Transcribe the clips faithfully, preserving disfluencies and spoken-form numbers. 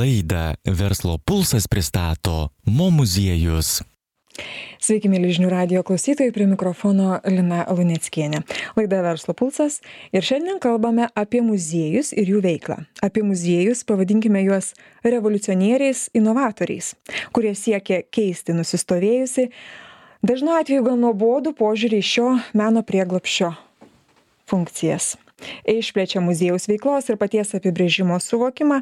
Laidą Verslo pulsas pristato Mo muziejus. Sveiki, mėly žinių radijo klausytojai, prie mikrofono Lina Luneckienė. Laida Verslo pulsas ir šiandien kalbame apie muziejus ir jų veiklą. Apie muziejus, pavadinkime juos revoliucionieriais, inovatoriais, kurie siekia keisti nusistovėjusi, dažnu atveju gal nuobodų požiūrį į šio meno prieglobsčio funkcijas. Išplečia muziejaus veiklos ir paties apibrėžimo suvokimą,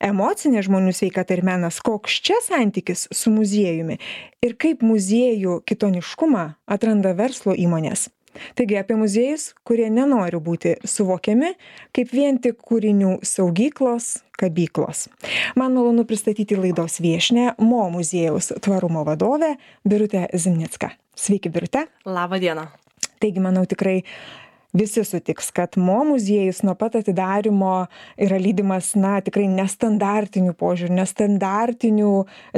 emocinė žmonių sveikata ir menas, koks čia santykis su muziejumi ir kaip muziejų kitoniškumą atranda verslo įmonės. Taigi apie muziejus, kurie nenori būti suvokiami kaip vien tik kūrinių saugyklos, kabyklos. Man malonu pristatyti laidos viešnią, Mo muziejaus tvarumo vadovę Birutę Zimnicką. Sveiki, Birute. Labą dieną. Taigi, manau, tikrai visi sutiks, kad Mo muziejus nuo pat atidarymo yra lydimas, na, tikrai nestandartinių požiūrių, nestandartinių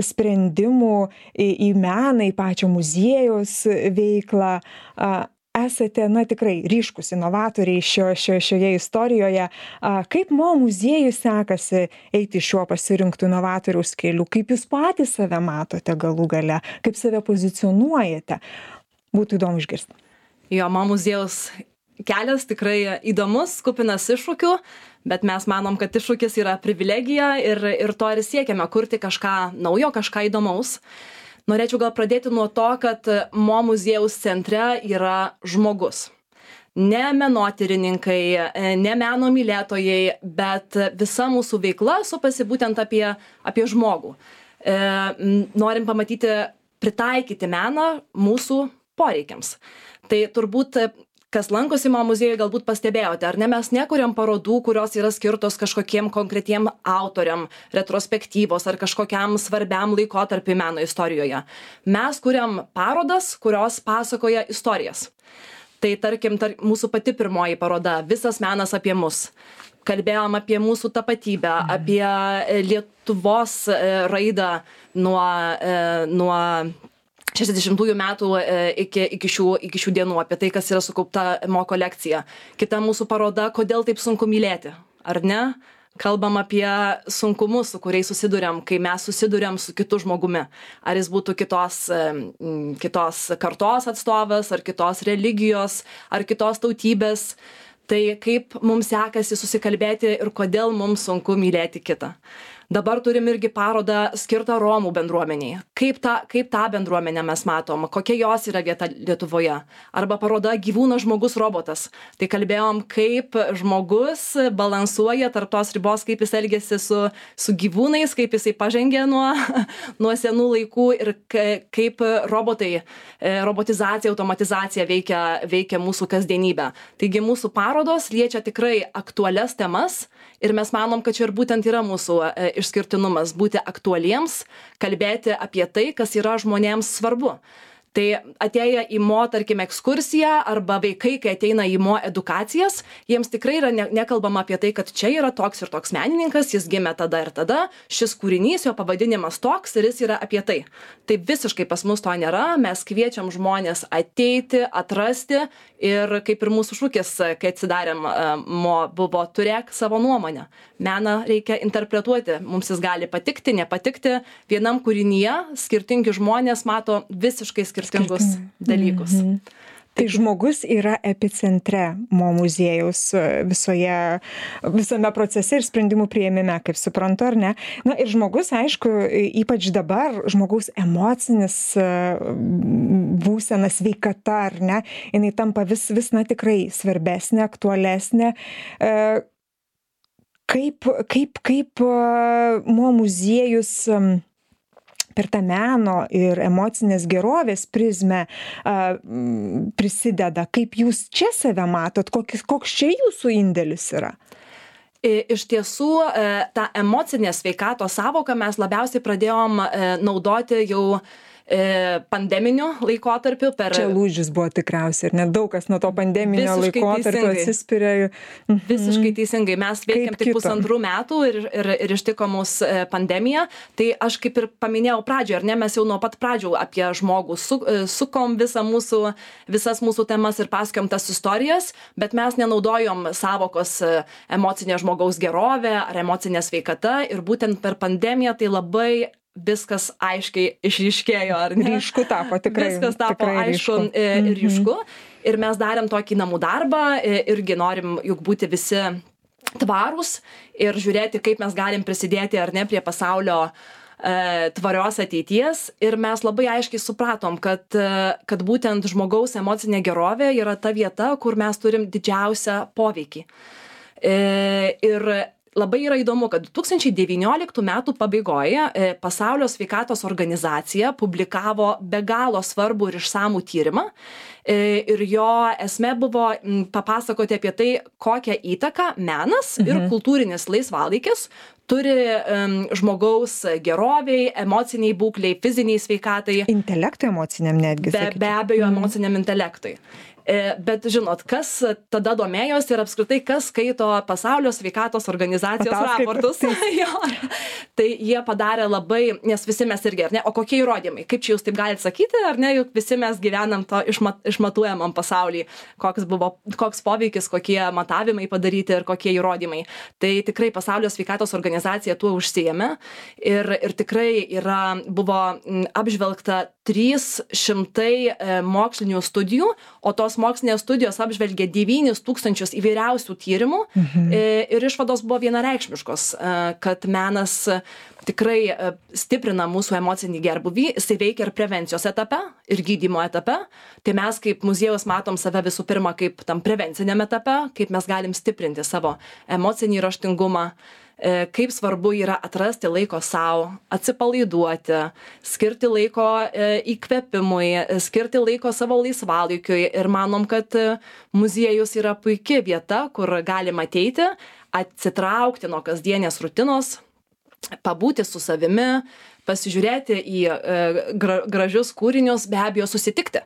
sprendimų į, į meną, į pačią muziejaus veiklą. Esate, na, tikrai ryškus inovatoriai šio, šio, šioje istorijoje. Kaip Mo muziejui sekasi eiti šiuo pasirinktų inovatoriaus keliu? Kaip jūs patys save matote galų gale? Kaip save pozicionuojate? Būtų įdomu išgirsti. Jo, Mo muziejaus kelias tikrai įdomus, kupinas iššūkių, bet mes manom, kad iššūkis yra privilegija ir, ir to ir siekiame kurti kažką naujo, kažką įdomaus. Norėčiau gal pradėti nuo to, kad Mo muziejaus centre yra žmogus. Ne menotyrininkai, ne meno mylėtojai, bet visa mūsų veikla supasi būtent apie, apie žmogų. E, norim pamatyti, pritaikyti meną mūsų poreikiams. Tai turbūt kas lankosi Mo muziejuje, galbūt pastebėjote, ar ne, mes nekuriam parodų, kurios yra skirtos kažkokiem konkretiem autoriam, retrospektyvos ar kažkokiam svarbiam laikotarpiui meno istorijoje. Mes kuriam parodas, kurios pasakoja istorijas. Tai tarkim, tar, mūsų pati pirmoji paroda, visas menas apie mus. Kalbėjom apie mūsų tapatybę, mhm. apie Lietuvos raidą nuo, nuo šešiasdešimtųjų metų iki, iki, šių, iki šių dienų, apie tai, kas yra sukaupta Mo kolekcija. Kita mūsų paroda, kodėl taip sunku mylėti, ar ne? Kalbam apie sunkumus, su kuriais susiduriam, kai mes susiduriam su kitu žmogumi. Ar jis būtų kitos, kitos kartos atstovas, ar kitos religijos, ar kitos tautybės. Tai kaip mums sekasi susikalbėti ir kodėl mums sunku mylėti kitą. Dabar turim irgi parodą skirtą Romų bendruomeniai. Kaip tą, kaip tą bendruomenę mes matom, kokia jos yra vieta Lietuvoje. Arba paroda Gyvūnas, žmogus, robotas. Tai kalbėjom, kaip žmogus balansuoja tarp tos ribos, kaip jis elgiasi su, su gyvūnais, kaip jisai pažengė nuo, nuo senų laikų ir kaip robotai, robotizacija, automatizacija veikia, veikia mūsų kasdienybę. Taigi mūsų parodos liečia tikrai aktualias temas ir mes manom, kad čia ir būtent yra mūsų išskirtinumas - būti aktualiems, kalbėti apie tai, kas yra žmonėms svarbu. Tai atėję į Mo, tarkim, ekskursiją arba vaikai, kai ateina į Mo edukacijas, jiems tikrai yra ne, nekalbama apie tai, kad čia yra toks ir toks menininkas, jis gimė tada ir tada, šis kūrinys, jo pavadinimas toks ir jis yra apie tai. Tai visiškai pas mus to nėra, mes kviečiam žmonės ateiti, atrasti ir kaip ir mūsų šūkis, kai atsidarėm Mo, buvo turėk savo nuomonę. Meną reikia interpretuoti, mums jis gali patikti, nepatikti. Vienam kūrinyje skirtingi žmonės mato visiškai skirtingus dalykus. Mhm. Tai žmogus yra epicentre Mo muziejaus visoje, visame procese ir sprendimų priėmime, kaip suprantu, ar ne? Na ir žmogus, aišku, ypač dabar, žmogaus emocinis būsena, sveikata, ar ne? Jinai tampa vis, vis na, tikrai svarbesnė, aktualesnė. Kaip, kaip, kaip Mo muziejus per tą meno ir emocinės gerovės prizmę a, prisideda? Kaip jūs čia save matot? Kokis, koks čia jūsų indėlis yra? Iš tiesų, tą emocinę sveikatos sąvoką mes labiausiai pradėjom naudoti jau pandeminiu laikotarpiu. Per... Čia lūžis buvo tikriausiai, ir net daug kas nuo to pandeminio Visiškai laikotarpio teisingai. atsispiria. Mhm. Visiškai teisingai. Mes veikiam Kaip tik kito. pusantrų metų ir, ir, ir ištiko mus pandemija. Tai aš kaip ir paminėjau pradžioje, ar ne, mes jau nuo pat pradžių apie žmogų su, sukom visą mūsų, visas mūsų temas ir pasakojom tas istorijas, bet mes nenaudojom savokos emocinė žmogaus gerovė ar emocinė sveikata ir būtent per pandemiją tai labai viskas aiškiai išryškėjo, ar ne? Ryšku tapo, tikrai. Viskas tapo tikrai aišku ryšku. ir ryšku. Mhm. Ir mes darėm tokį namų darbą, irgi norim juk būti visi tvarūs ir žiūrėti, kaip mes galim prisidėti ar ne prie pasaulio e, tvarios ateities. Ir mes labai aiškiai supratom, kad, kad būtent žmogaus emocinė gerovė yra ta vieta, kur mes turim didžiausią poveikį. E, ir labai yra įdomu, kad du tūkstančiai devynioliktų metų pabaigoje Pasaulio sveikatos organizacija publikavo be galo svarbų ir išsamų tyrimą. Ir jo esmė buvo papasakoti apie tai, kokią įtaką menas mhm. ir kultūrinis laisvalaikis turi um, žmogaus geroviai, emociniai būkliai, fiziniai sveikatai. Intelektui emociniam netgi. Be, be abejo, emociniam intelektui. Bet žinot, kas tada domėjosi ir apskritai, kas skaito Pasaulio sveikatos organizacijos raportus. Jo. Tai jie padarė labai, nes visi mes irgi, ar ne, o kokie įrodymai, kaip čia jūs taip galite sakyti, ar ne, juk visi mes gyvenam to išmat, išmatuojamam pasaulyje, koks buvo, koks poveikis, kokie matavimai padaryti ir kokie įrodymai. Tai tikrai Pasaulio sveikatos organizacija tuo užsiėmė ir, ir tikrai yra, buvo apžvelgta trys šimtai mokslinių studijų, o tos mokslinės studijos apžvelgė devynis tūkstančius įvairiausių tyrimų mhm. ir išvados buvo vienareikšmiškos, kad menas tikrai stiprina mūsų emocinį gerbūvį, jisai veikia ir prevencijos etape, ir gydymo etape. Tai mes kaip muziejus matom save visų pirma kaip tam prevenciniam etape, kaip mes galim stiprinti savo emocinį raštingumą, kaip svarbu yra atrasti laiko savo, atsipalaiduoti, skirti laiko įkvėpimui, skirti laiko savo laisvalaikiui ir manom, kad muziejus yra puikia vieta, kur galima ateiti, atsitraukti nuo kasdienės rutinos, pabūti su savimi, pasižiūrėti į gra, gražius kūrinius, be abejo susitikti.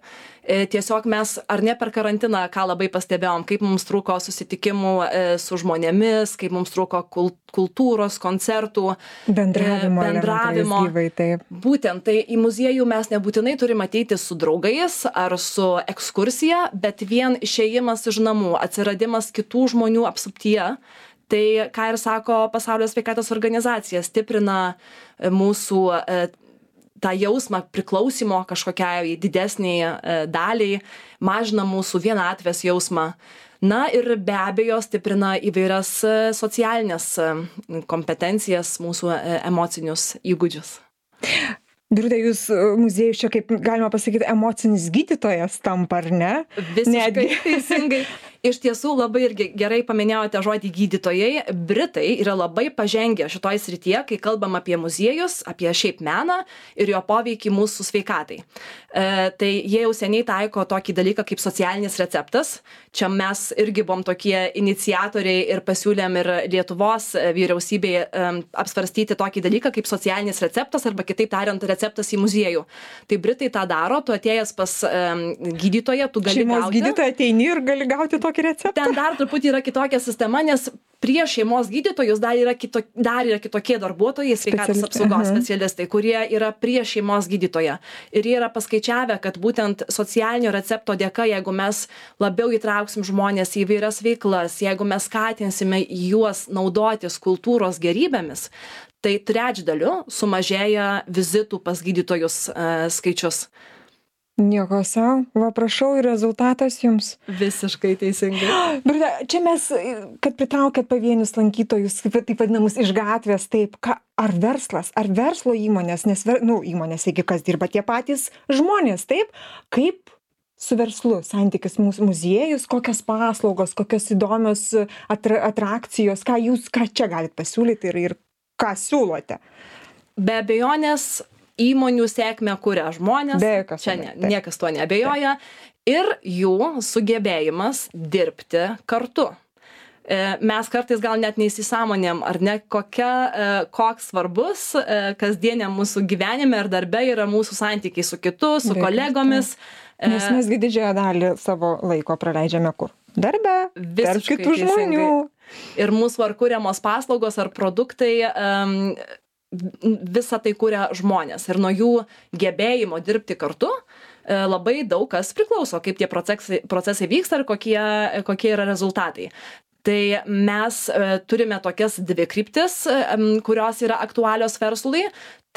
Tiesiog mes, ar ne per karantiną, ką labai pastebėjom, kaip mums trūko susitikimų su žmonėmis, kaip mums trūko kultūros, koncertų, bendravimo. bendravimo. Gyvai, taip. Būtent, tai į muziejų mes nebūtinai turime ateiti su draugais ar su ekskursija, bet vien išėjimas iš namų, atsiradimas kitų žmonių apsuptyje. Tai, ką ir sako Pasaulio sveikatos organizacija, stiprina mūsų tą jausmą priklausimo kažkokiai didesniai daliai, mažina mūsų vienatvės jausmą. Na ir be abejo stiprina įvairias socialinės kompetencijas, mūsų emocinius įgūdžius. Birute, jūs muziejus čia, kaip galima pasakyti, emocinis gydytojas tampa, ar ne? Visiškai teisingai. Iš tiesų labai irgi gerai paminėjote žodį gydytojai. Britai yra labai pažengę šitoj srityje, kai kalbam apie muziejus, apie šiaip meną ir jo poveikį mūsų sveikatai. E, tai jie jau seniai taiko tokį dalyką kaip socialinis receptas. Čia mes irgi buvom tokie iniciatoriai ir pasiūlėm ir Lietuvos vyriausybei e, apsvarstyti tokį dalyką kaip socialinis receptas arba kitaip tariant receptas į muziejų. Tai Britai tą daro, tu atėjęs pas e, gydytoją, tu gali Šeimos gauti. Gydytoją ateini ir gali gauti to receptą. Ten dar truputį yra kitokia sistema, nes prieš šeimos gydytojus dar yra, kito, dar yra kitokie darbuotojai, sveikatos apsaugos uh-huh. specialistai, kurie yra prieš šeimos gydytoją. Ir jie yra paskaičiavę, kad būtent socialinio recepto dėka, jeigu mes labiau įtrauksim žmonės į įvairias veiklas, jeigu mes skatinsime juos naudotis kultūros gerybėmis, tai trečdaliu sumažėja vizitų pas gydytojus uh, skaičius. Nieko savo, va prašau ir rezultatas jums. Visiškai teisingai. Birute, čia mes, kad pritraukėt pavienius lankytojus, taip vadinamus iš gatvės, taip, ką, ar verslas, ar verslo įmonės, nes, nu, įmonės, jeigu kas dirba tie patys žmonės, taip, kaip su verslu, santykis mūsų muziejus, kokios paslaugos, kokios įdomios atra, atrakcijos, ką jūs, ką čia galite pasiūlyti ir, ir ką siūlote? Be abejonės, įmonių sėkmę kuria žmonės, čia ne, niekas tuo neabejoja, ir jų sugebėjimas dirbti kartu. mes kartais gal net neįsisąmonėm, ar ne, kokia, koks svarbus kasdieniam mūsų gyvenime ir darbe yra mūsų santykiai su kitu, su Dėkui, kolegomis. Tai. Nes mes didžiąją dalį savo laiko praleidžiame kur? Darbe, tarp kitų žmonių. Ir mūsų ar kuriamos paslaugos ar produktai, um, visą tai kuria žmonės. Ir nuo jų gebėjimo dirbti kartu labai daug kas priklauso, kaip tie procesai, procesai vyksta ir kokie, kokie yra rezultatai. Tai mes e, turime tokias dvi kryptis, e, kurios yra aktualios verslui.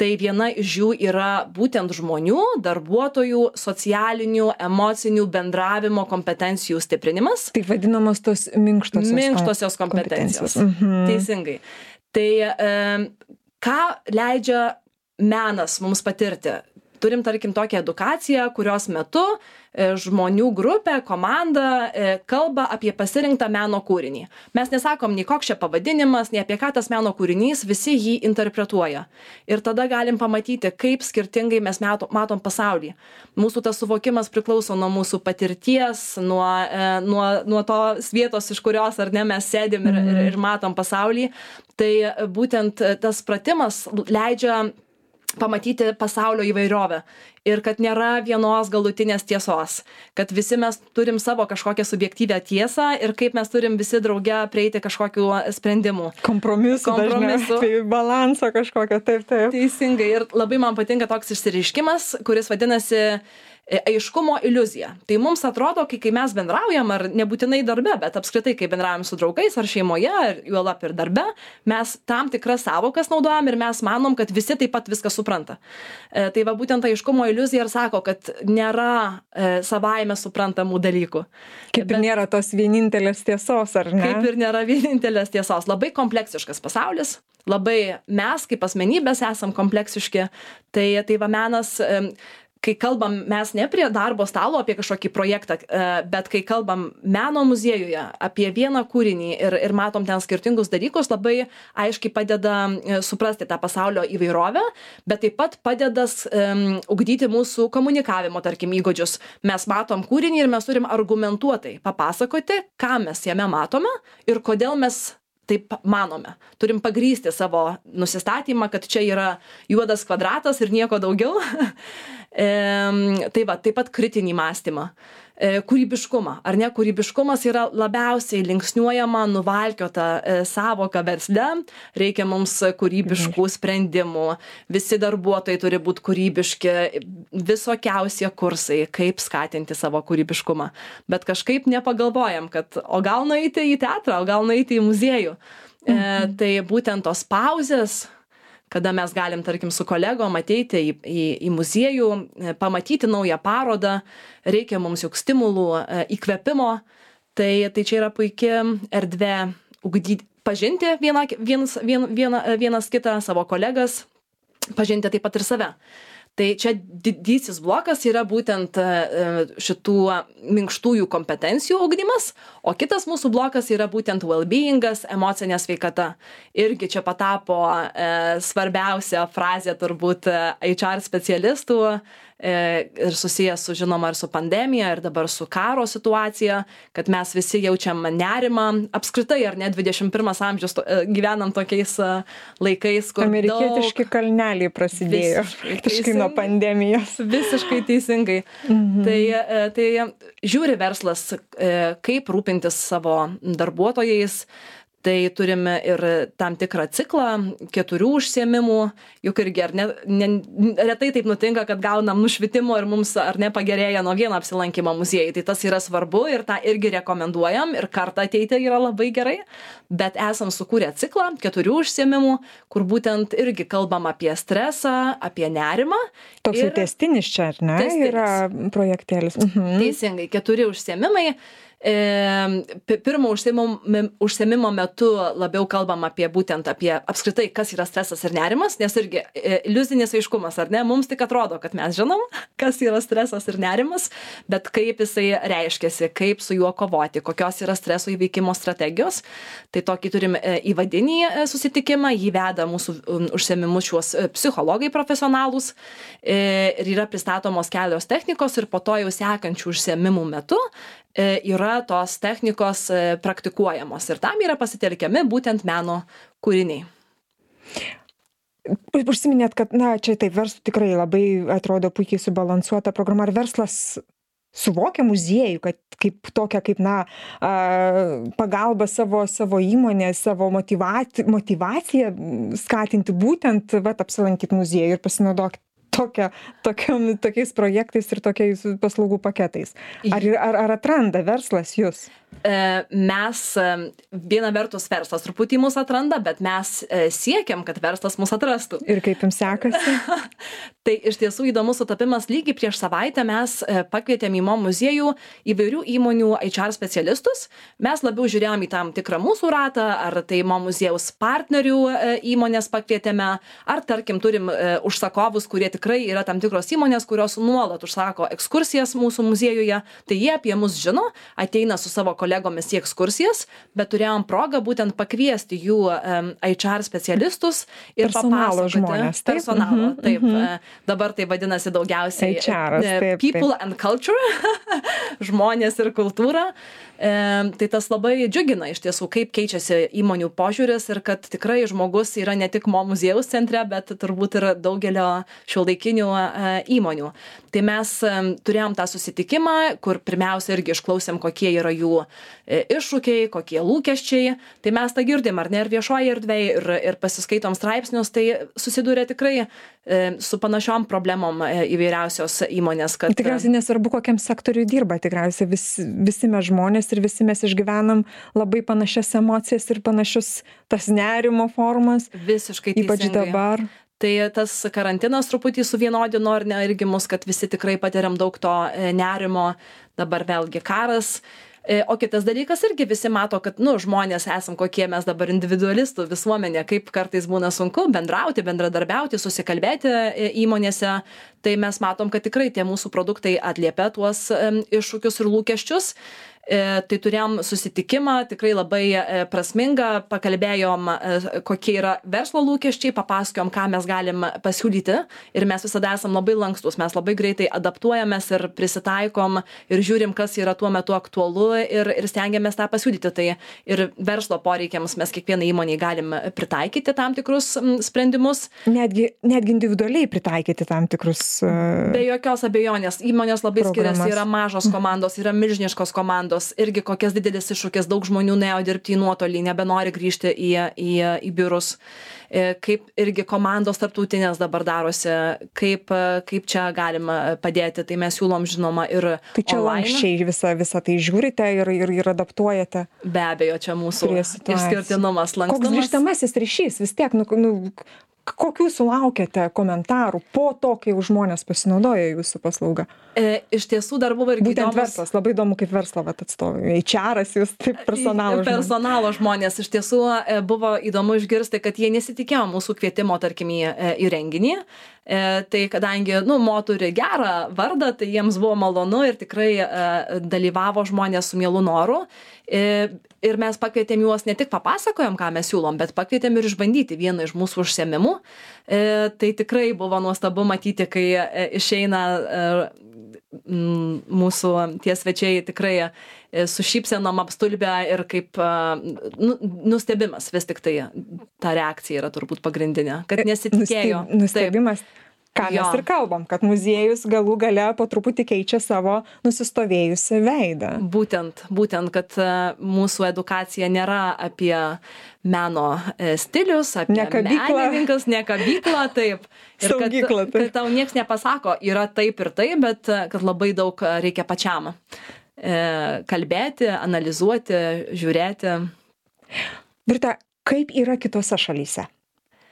Tai viena iš jų yra būtent žmonių, darbuotojų, socialinių, emocinių bendravimo kompetencijų stiprinimas. Tai vadinamos tos minkštosios, minkštosios kompetencijos. kompetencijos. Mhm. Teisingai. Tai e, ką leidžia menas mums patirti? Turim, tarkim, tokią edukaciją, kurios metu žmonių grupė, komanda kalba apie pasirinktą meno kūrinį. Mes nesakom nei koks čia pavadinimas, nei apie ką tas meno kūrinys, visi jį interpretuoja. Ir tada galim pamatyti, kaip skirtingai mes matom pasaulį. Mūsų tas suvokimas priklauso nuo mūsų patirties, nuo, nuo, nuo tos vietos, iš kurios ar ne mes sėdim ir, ir, ir matom pasaulį. Tai būtent tas pratimas leidžia pamatyti pasaulio įvairovę ir kad nėra vienos galutinės tiesos, kad visi mes turim savo kažkokią subjektyvę tiesą ir kaip mes turim visi drauge prieiti kažkokių sprendimų. Kompromisų, Kompromisų. Tai balanso kažkokio, taip, taip. Teisingai. Ir labai man patinka toks išsireiškimas, kuris vadinasi aiškumo iliuzija. Tai mums atrodo, kai, kai mes bendraujam, ar nebūtinai darbe, bet apskritai, kai bendraujam su draugais ar šeimoje, ar juolab ir darbe, mes tam tikras savokas naudojam ir mes manom, kad visi taip pat viską supranta. E, tai va būtent aiškumo iliuzija ir sako, kad nėra e, savaime suprantamų dalykų. Kaip bet, ir nėra tos vienintelės tiesos, ar ne? Kaip ir nėra vienintelės tiesos. Labai kompleksiškas pasaulis. Labai mes kaip asmenybės esam kompleksiški. Tai, tai va menas... E, kai kalbam mes ne prie darbo stalo apie kažkokį projektą, bet kai kalbam meno muziejuje apie vieną kūrinį ir, ir matom ten skirtingus dalykus, labai aiškiai padeda suprasti tą pasaulio įvairovę, bet taip pat padeda um, ugdyti mūsų komunikavimo, tarkim, įgūdžius. Mes matom kūrinį ir mes turim argumentuotai papasakoti, ką mes jame matome ir kodėl mes taip manome. Turim pagrysti savo nusistatymą, kad čia yra juodas kvadratas ir nieko daugiau. e, tai va, taip pat kritinį mąstymą. E, kūrybiškumą. Ar ne? Kūrybiškumas yra labiausiai linksniuojama, nuvalkiota e, savoka versle. Reikia mums kūrybiškų sprendimų. Visi darbuotojai turi būti kūrybiški. Visokiausie kursai, kaip skatinti savo kūrybiškumą. Bet kažkaip nepagalvojam, kad o gal nueiti į teatrą, o gal nueiti į muziejų. E, tai būtent tos pauzės, kada mes galim, tarkim, su kolegom ateiti į, į, į muziejų, pamatyti naują parodą, reikia mums juk stimulų, įkvėpimo, tai, tai čia yra puikia erdvė ugdyti, pažinti vieną, vienas, vien, vieną, vienas kitą, savo kolegas, pažinti taip pat ir save. Tai čia didysis blokas yra būtent šitų minkštųjų kompetencijų ugdymas, o kitas mūsų blokas yra būtent well-beingas, emocinė sveikata. Irgi čia patapo e, svarbiausia frazė turbūt H R specialistų e, ir susijęs su, žinoma, ir su pandemija, ir dabar su karo situacija, kad mes visi jaučiam nerimą. Apskritai, ar ne, dvidešimt pirmas amžius to, e, gyvenam tokiais e, laikais, kur amerikietiški daug... kalneliai prasidėjo. Visiškai nuo pandemijos. Visiškai teisingai. Mhm. Tai, e, tai žiūri verslas, e, kaip rūpintis savo darbuotojais. Tai turime ir tam tikrą ciklą, keturių užsiėmimų, juk irgi ar ne, ne, retai taip nutinka, kad gaunam nušvitimo ir mums ar ne pagerėja nuo vieno apsilankimo muziejai. Tai tas yra svarbu ir tą irgi rekomenduojam ir kartą ateiti yra labai gerai, bet esam sukūrę ciklą keturių užsiėmimų, kur būtent irgi kalbam apie stresą, apie nerimą. Toks jau tęstinis čia, ar ne? Testinis. Yra projektėlis. Mhm. Teisingai, keturi užsiėmimai. Pirmo užsiėmimo metu labiau kalbam apie būtent apie apskritai, kas yra stresas ir nerimas, nes irgi iliuzinis aiškumas, ar ne, mums tik atrodo, kad mes žinom, kas yra stresas ir nerimas, bet kaip jisai reiškiasi, kaip su juo kovoti, kokios yra streso įveikimo strategijos. Tai tokį turim įvadinį susitikimą, jį veda mūsų užsiėmimus šiuos psichologai profesionalūs ir yra pristatomos kelios technikos ir po to jau sekančių užsiėmimų metu yra tos technikos praktikuojamos ir tam yra pasitelkiami būtent meno kūriniai. Užsiminėt, kad, na, čia taip, verslo tikrai labai atrodo puikiai subalansuota programa. Ar verslas suvokia muziejų, kad kaip tokia, kaip, na, pagalba savo, savo įmonė, savo motyvaciją, motivaciją skatinti būtent, vat, apsilankyti muziejų ir pasinaudoti tokia, tokiom, tokiais projektais ir tokiais paslaugų paketais. Ar, ar, ar atranda verslas jūs? Mes, viena vertus verslas truputį mus atranda, bet mes siekiam, kad verslas mus atrastų. Ir kaip jums sekasi? Tai iš tiesų įdomus sutapimas. Lygiai prieš savaitę mes pakvietėm į Mo muziejų įvairių įmonių H R specialistus. Mes labiau žiūrėjom į tam tikrą mūsų ratą, ar tai Mo muziejaus partnerių įmonės pakvietėme, ar tarkim turim užsakovus, kurie tikrai yra tam tikros įmonės, kurios nuolat užsako ekskursijas mūsų muziejuje. Tai jie apie mus žino, ateina su savo kolegomis į ekskursijas, bet turėjom progą būtent pakviesti jų um, H R specialistus ir personalo papasakoti. Žmonės, taip? Personalo, Mhm, taip. mhm. Dabar tai vadinasi daugiausiai H R, taip, people taip. and culture, žmonės ir kultūra. E, tai tas labai džiugina iš tiesų, kaip keičiasi įmonių požiūris ir kad tikrai žmogus yra ne tik Mo muziejaus centre, bet turbūt ir daugelio šiuolaikinių e, įmonių. Tai mes e, turėjom tą susitikimą, kur pirmiausia irgi išklausėm, kokie yra jų e, iššūkiai, kokie lūkesčiai. Tai mes tą girdim, ar ne, ir viešoje erdvėje, ir, ir pasiskaitom straipsnius, tai susidūrė tikrai e, su panašiom problemom e, įvairiausios įmonės. Kad, tikriausiai nesvarbu, kokiam sektoriui dirba, tikriausiai vis, visi mes žmonės ir visi mes išgyvenam labai panašias emocijas ir panašius tas nerimo formas. Visiškai ypač teisingai. Dabar. Tai tas karantinas truputį suvienodino ar ne irgi mus, kad visi tikrai patiriam daug to nerimo, dabar vėlgi karas. O kitas dalykas irgi visi mato, kad, nu, žmonės esam kokie mes dabar individualistų visuomenė, kaip kartais būna sunku bendrauti, bendradarbiauti, susikalbėti įmonėse. Tai mes matom, kad tikrai tie mūsų produktai atliepia tuos iššūkius ir lūkesčius. E, tai turėjom susitikimą, tikrai labai e, prasmingą, pakalbėjom, e, kokie yra verslo lūkesčiai, papasakojom, ką mes galim pasiūlyti ir mes visada esam labai lankstus, mes labai greitai adaptuojamės ir prisitaikom ir žiūrim, kas yra tuo metu aktualu ir, ir stengiamės tą pasiūlyti. Tai ir verslo poreikiams mes kiekvienai įmonei galim pritaikyti tam tikrus m, sprendimus. Netgi, netgi individualiai pritaikyti tam tikrus. Uh, Be jokios abejonės, įmonės labai programas. Skiriasi, yra mažos komandos, yra milžiniškos komandos. Irgi kokias didelis iššūkis, daug žmonių nuėjo dirbti į nuotolį, nebenori grįžti į, į, į biurus. Kaip irgi komandos tarptautinės dabar darosi, kaip, kaip čia galima padėti, tai mes siūlom žinoma ir tai čia online. Lankščiai visą, visą tai žiūrite ir, ir, ir adaptuojate. Be abejo, čia mūsų išskirtinumas, lankstumas. Koks grįžtamasis ryšys vis tiek, nu, nu, kokių sulaukėte komentarų po to, kai jau žmonės pasinaudoja jūsų paslaugą? E, iš tiesų dar buvo irgi būtent įdomus... verslas, labai įdomu kaip verslo atstovai. H R-as jūs, taip personalo žmonės. Personalo žmonės. Iš tiesų buvo įdomu išgirsti, kad jie nesitikėjo mūsų kvietimo, tarkim, į, į renginį. E, tai kadangi, nu, Mo turi gerą vardą, tai jiems buvo malonu ir tikrai e, dalyvavo žmonės su mielu noru. E, ir mes pakvietėm juos, ne tik papasakojom, ką mes siūlom, bet pakvietėm ir išbandyti vieną iš mūsų užsiėmimų. E, tai tikrai buvo nuostabu matyti, kai e, išeina e, mūsų tie svečiai tikrai su šypsenom apstulbę ir kaip nu, nustebimas vis tik tai ta reakcija yra turbūt pagrindinė, kad nesitikėjo. Nustebimas, ką mes jo. Ir kalbam, kad muziejus galų gale po truputį keičia savo nusistovėjusią veidą. Būtent, būtent, kad mūsų edukacija nėra apie meno stilius, apie ne menininkas, ne kabyklą, taip. Ir kad, Saugykla, taip. Kad tau nieks nepasako, yra taip ir taip, bet kad labai daug reikia pačiam kalbėti, analizuoti, žiūrėti. Birute, kaip yra kitose šalyse?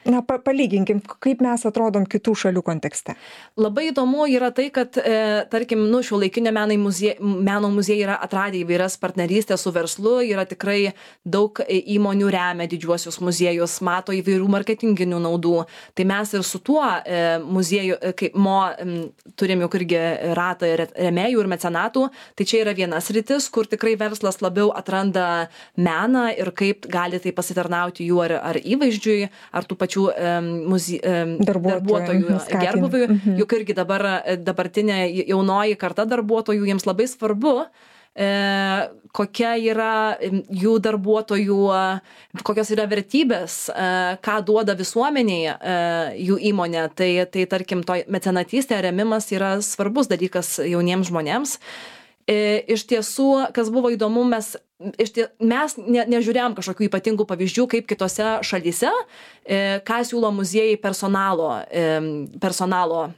Na, pa, palyginkim, kaip mes atrodom kitų šalių kontekste. Labai įdomu yra tai, kad, e, tarkim, nu, šiuolaikinio meno muziejai, meno muziejai yra atradę įvairias partnerystės su verslu, yra tikrai daug įmonių remia didžiuosius muziejus, mato įvairių marketinginių naudų. Tai mes ir su tuo e, muziejų, kaip Mo, m, turim juk irgi ratą remėjų ir mecenatų, tai čia yra vienas rytis, kur tikrai verslas labiau atranda meną ir kaip gali tai pasitarnauti jų ar, ar įvaizdžiui, ar tų pačių muzie, darbuotojų, darbuotojų gerbuviui, mhm. juk irgi dabar dabartinė jaunoji karta darbuotojų, jiems labai svarbu kokia yra jų darbuotojų, kokios yra vertybės, ką duoda visuomeniai jų įmonė. Tai, tai tarkim, to mecenatystė, remimas yra svarbus dalykas jauniems žmonėms. Iš tiesų, kas buvo įdomu, mes, tie, mes ne, nežiūrėjom kažkokių ypatingų pavyzdžių, kaip kitose šalyse, ką siūlo muziejai personalo, personalo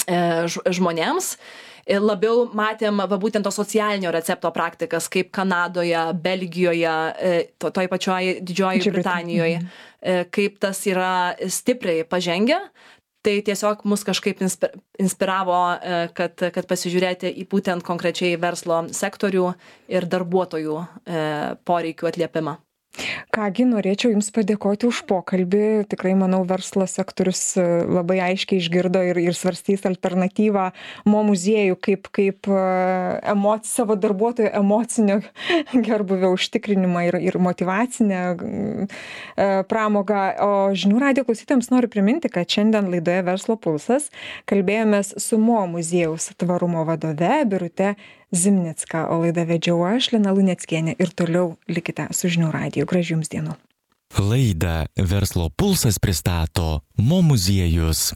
žmonėms. Labiau matėm va, būtent to socialinio recepto praktikas, kaip Kanadoje, Belgijoje, to, toj pačioj Didžiojoje Britanijoje, kaip tas yra stipriai pažengę. Tai tiesiog mus kažkaip inspiravo, kad, kad pasižiūrėti į būtent konkrečiai verslo sektorių ir darbuotojų poreikių atliepimą. Kągi, norėčiau Jums padėkoti už pokalbį. Tikrai, manau, verslo sektorius labai aiškiai išgirdo ir, ir svarstys alternatyvą mo muziejų kaip, kaip emoci, savo darbuotojų emocinio gerbūvio užtikrinimą ir, ir motyvacinę pramogą. O žinių radijo klausytojams noriu priminti, kad šiandien laidoje Verslo pulsas kalbėjomės su mo muziejaus tvarumo vadove Birute Zimnicka, o laidą vedžiau aš, Lina Luneckienė, ir toliau likite su žinių radiju. Gražių Jums dienų. Laidą Verslo pulsas pristato mo muziejus.